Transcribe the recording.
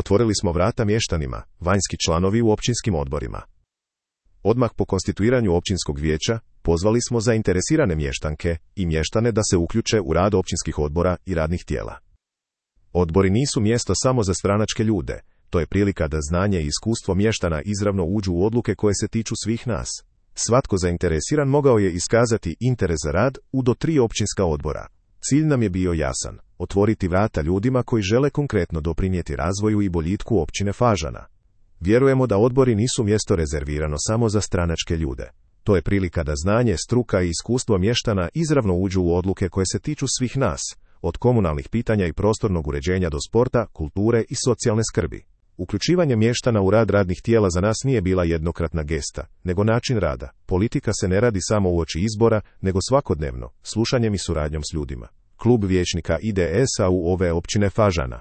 Otvorili smo vrata mještanima, vanjski članovi u općinskim odborima. Odmah po konstituiranju općinskog vijeća, pozvali smo zainteresirane mještanke i mještane da se uključe u rad općinskih odbora i radnih tijela. Odbori nisu mjesto samo za stranačke ljude, to je prilika da znanje i iskustvo mještana izravno uđu u odluke koje se tiču svih nas. Svatko zainteresiran mogao je iskazati interes za rad u do 3 općinska odbora. Cilj nam je bio jasan, otvoriti vrata ljudima koji žele konkretno doprinijeti razvoju i boljitku općine Fažana. Vjerujemo da odbori nisu mjesto rezervirano samo za stranačke ljude. To je prilika da znanje, struka i iskustvo mještana izravno uđu u odluke koje se tiču svih nas, od komunalnih pitanja i prostornog uređenja do sporta, kulture i socijalne skrbi. Uključivanje mještana u rad radnih tijela za nas nije bila jednokratna gesta, nego način rada. Politika se ne radi samo uoči izbora, nego svakodnevno, slušanjem i suradnjom s ljudima. Klub vijećnika IDS-a u ove općine Fažana.